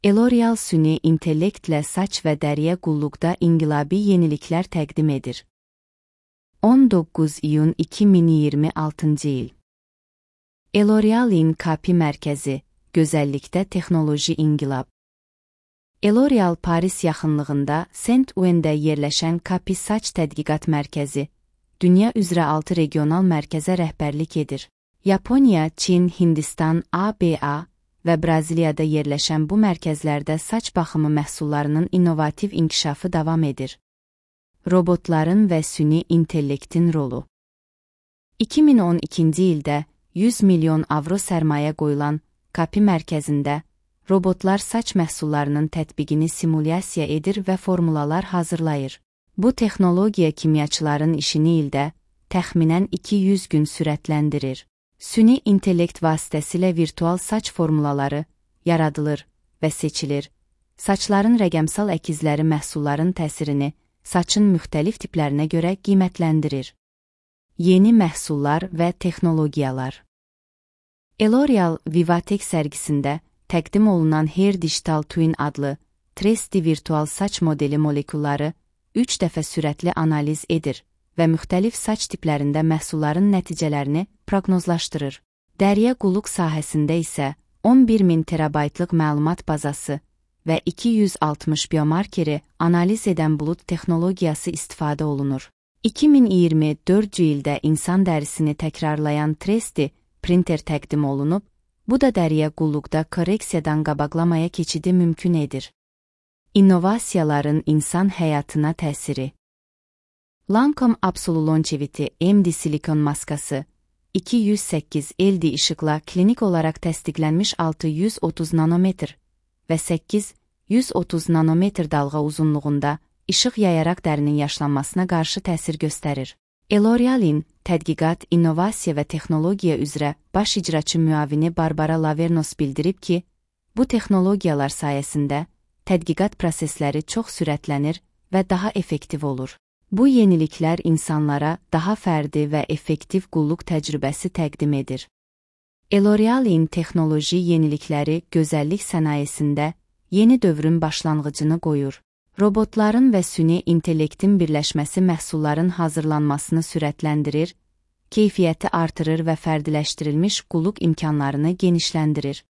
L'Oreal süni intellektlə saç və dəriyə qulluqda inqilabi yeniliklər təqdim edir. 19 iyun 2026 il. L'Oreal'in KP mərkəzi, gözəllikdə texnoloji inqilab. L'Oreal Paris yaxınlığında Saint-Ouen'də yerləşən KP saç tədqiqat mərkəzi, dünya üzrə 6 regional mərkəzə rəhbərlik edir. Yaponiya, Çin, Hindistan, ABA və Braziliyada yerləşən bu mərkəzlərdə saç baxımı məhsullarının innovativ inkişafı davam edir. Robotların və süni intellektin rolu. 2012-ci ildə 100 milyon avro sərmayə qoyulan KP mərkəzində robotlar saç məhsullarının tətbiqini simulyasiya edir və formulalar hazırlayır. Bu texnologiya kimyaçıların işini ildə təxminən 200 gün sürətləndirir. Süni intellekt vasitəsilə virtual saç formulaları yaradılır və seçilir. Saçların rəqəmsal əkizləri məhsulların təsirini saçın müxtəlif tiplərinə görə qiymətləndirir. Yeni məhsullar və texnologiyalar. L'Oreal Vivatek sərgisində təqdim olunan Hair Digital Twin adlı 3D virtual saç modeli molekulları 3 dəfə sürətli analiz edir və müxtəlif saç tiplərində məhsulların nəticələrini proqnozlaşdırır. Dəriyə qulluq sahəsində isə 11.000 terabaytlıq məlumat bazası və 260 biomarkeri analiz edən bulut texnologiyası istifadə olunur. 2024 ildə insan dərisini təkrarlayan 3D printer təqdim olunub, bu da dəriyə qulluqda korreksiyadan qabaqlamaya keçidi mümkün edir. İnnovasiyaların insan həyatına təsiri. Lancome Absolute Longevity MD silikon maskası 208 LD işıqla klinik olaraq təsdiqlənmiş 630 nanometr və 830 nanometr dalğa uzunluğunda işıq yayaraq dərinin yaşlanmasına qarşı təsir göstərir. L'Oreal'in tədqiqat, innovasiya və texnologiya üzrə baş icraçı müavini Barbara Lavernos bildirib ki, bu texnologiyalar sayəsində tədqiqat prosesləri çox sürətlənir və daha effektiv olur. Bu yeniliklər insanlara daha fərdi və effektiv qulluq təcrübəsi təqdim edir. L'Oreal'in texnoloji yenilikləri gözəllik sənayesində yeni dövrün başlanğıcını qoyur. Robotların və süni intellektin birləşməsi məhsulların hazırlanmasını sürətləndirir, keyfiyyəti artırır və fərdiləşdirilmiş qulluq imkanlarını genişləndirir.